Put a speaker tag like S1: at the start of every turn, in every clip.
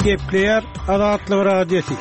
S1: Gepleýär Azatlyk Radiosy.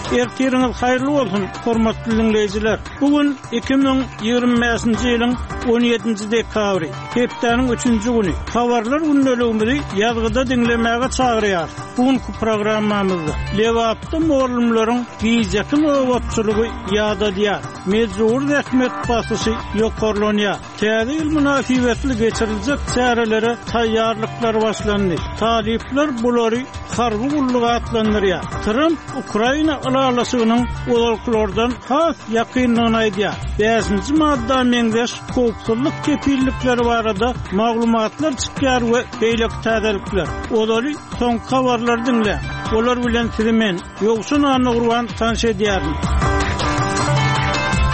S1: Ertiriňiz haýyrly bolsun, hormatly diňleýjiler! Bu gün 2025-nji ýylyň 17-nji dekabry, hepdäniň üçünji güni. Habarlar gündeligimizi ýazgyda diňlemäge çagyrýarys. Bu günki programmamyzda Lebapda mugallymlaryň gijeki nobatçylygy ýadadýar, mejbury zähmet basyşy ýokarlanýar. Täze ýyl mynasybetli geçiriljek çärelere taýýarlyklar başlandy. Talyplar bulary harby gulluk atlandyrýar. Tramp Ukraina ylalaşygynyň ozalkylardan has ýakyndygyny aýdýar. Bäşinji madda meňzeş howpsuzlyk kepillikleri barada maglumatlar çykýar we beýleki täzelikler. Ozaly soňky habarlary diňläň. Olar bilen sizi men, Ýowşan Annagurban tanyş edýärin.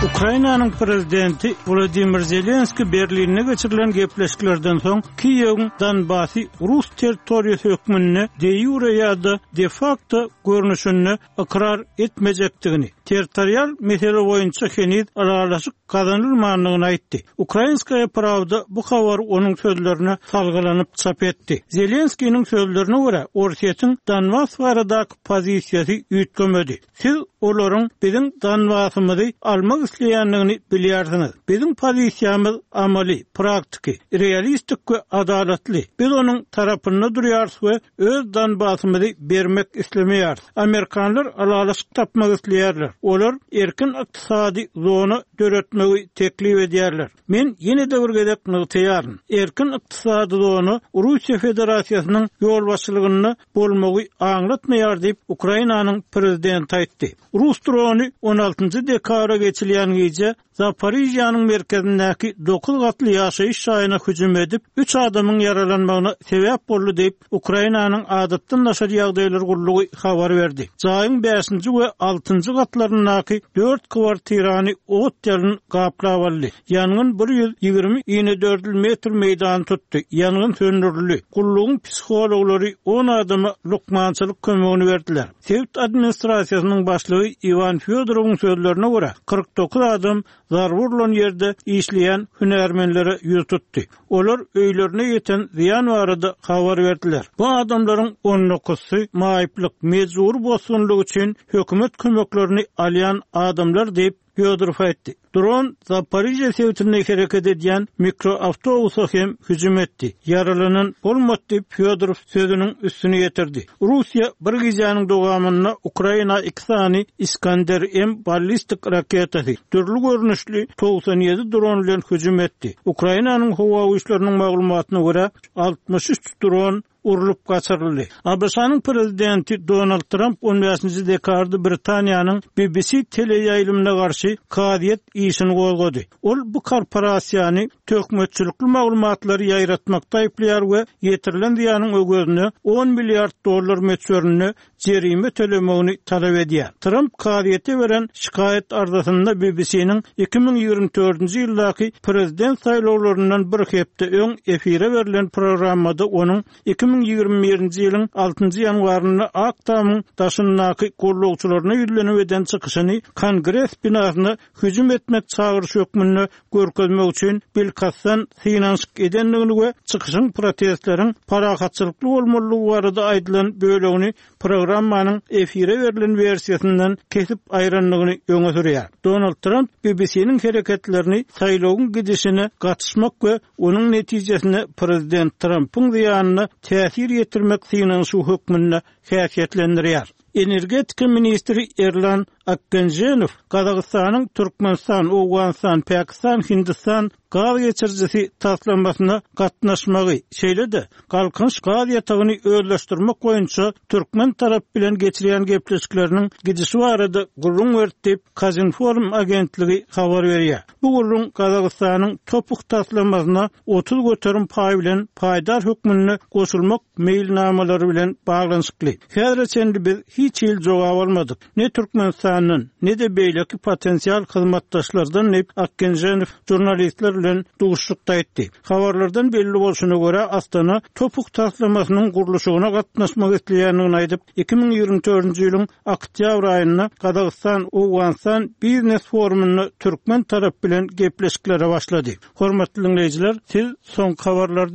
S1: Ukrainanyň prezidenti Wladimir Zelenskiý Berlinde geçirilen gepleşiklerden soň Kiýewiň Donbasy rus territoriýasy hökmünde de-ýure ýa-da de-fakto görnüşinde ykrar etmejekdigini, territorial mesele boýunça heniz ylalaşyk gazanylmandygyny aýtdy. Ukrainskaýa prawda bu habary onuň sözlerine salgylanyp çap etdi. Zelenskiniň sözlerine görä, Orsýetiň Donbas baradaky pozisiýasy üýtgemedi. Siz olaryň biziň Donbasymyzy almak isleýändigini bilýärsiňiz. Biziň pozisiýamyz amaly, praktiki, realistik we adalatly. Biz onuň tarapynda durýarys we Öz Donbasymyzy bermek islemeýäris. Amerikanlar ylalaşyk tapmak isleýärler. Olar erkin ykdysady zona döretmegi teklip edýärler. Men ýene-de bir gezek nygtaýaryn, erkin ykdysady zona Russiýa Federasiýasynyň ýolbaşçylygynda bolmagy aňlatmaýar diýip, Ukrainanyň prezidenti aýtdy. Rus drony on altynjy dekabra geçilýän gije Zaporižýanyň merkezindäki dokuz gatly ýaşaýyş jaýyna hüjüm edip, üç adamyň ýaralanmagyna sebäp boldy diýip, Ukrainanyň Adatdan daşary ýagdaýlar gullugy habar berdi. Jaýyň bäşinji we altynjy gatlaryndaky dört kwartirany ot-ýalyn gaplap aldy. Ýangyn 120 inedördül metr meýdany tutdy. Ýangyn söndürildi. Gullugyň psihologlary on adama lukmançylyk kömegini berdiler. Sebit administrasiýasynyň başlygy Iwan Fýodorowyň sözlerine görä, 49 adam zarba urlan ýerde işleýän hünärmenlere ýüz tutdy. Olar öýlerine ýeten zyýan barada habar berdiler. Bu adamlaryň on dokuzsy maýyplyk, mejbury bosgunlyk üçin hökümet kömeklerini alýan adamlar diýip, Fýodorow aýtdy. Dron Zaporižýa sebitinde hereket edýän mikroawtobusa hem hüjüm etdi. Ýaralanan bolmady diýip, Fýodorow sözüniň üstüni ýetirdi. Russiýa bir gijäniň dowamynda Ukraina iki sany Iskander-M ballistik raketasy, dürli görnüşli 97 dron bilen hüjüm etdi. Ukrainanyň howa güýçleriniň maglumatyna görä, 63 dron urlup gaçyryldy. ABŞ-nyň prezidenti Donald Tramp on bäşinji dekabrda Britaniýanyň BBC teleýaýlymyna garşy kazyýet işini gozgady. Ol bu korporasiýany töhmetçilikli maglumatlary ýaýratmakda aýyplaýar we ýetirilen zyýanyň öwezine on milliard dollar möçberinde jerime tölemegini talap edýär. Tramp kazyýete beren şikaýat arzasynda BBC-niň 2024-nji ýyldaky prezident saýlawlaryndan bir hepde öň efire berlen programmada onuň 2021-nji ýylyň altynjy ýanwarynda Ak Tamyň daşyndaky gollagçylaryna ýüzlenip eden çykyşyny Kongres binasyna hüjüm etmek çagyryşy hökmünde görkezmek üçin bilkastdan synanyşyk edendigini we çykyşyň protestleriň parahatçylykly bolmalydygy barada aýdylan bölegini programmanyň efire berlen wersiýasyndan kesip aýrandygyny öňe sürýär. Donald Tramp BBC-niň hereketlerini saýlawyň gidişine gatyşmak we onuň netijesinde prezident Trampyň zyýanyna täsir ýetirmek synanyşygy hökmünde häsiýetlendirýär. Energetika ministri Erlan Akgenženow Gazagystanyň Türkmenistan, Owganystan, Pakistan, Hindistan gaz geçirijisi taslamasyna gatnaşmagy, şeýle-de Galkynyş gaz ýatagyny özleşdirmek boýunça türkmen tarapy bilen geçirýän gepleşikleriniň gidişi barada gürrüň berdi diýip, Kazinform agentligi habar berýär. Bu gürrüň Gazagystanyň TOPH taslamasyna 30% paý bilen paýdar hökmünde goşulmak meýilnamalary bilen baglanyşykly. Häzire çenli biz hiç hili jogap almadyk. Ne Türkmenistandan, ne-de beýleki potensial hyzmatdaşlardan diýip, Akgenženow žurnalistler bilen duşuşykda aýtdy. Habarlardan belli bolşuna görä, Astana TOPH taslamasynyň gurluşygyna gatnaşmak isleýändigini aýdyp, 2024-nji ýylyň oktýabr aýynda Gazagystan, Owganystan biznes forumynda türkmen tarapy bilen gepleşiklere başlady. Hormatly diňleýjiler, siz soňky habarlary diňlediňiz.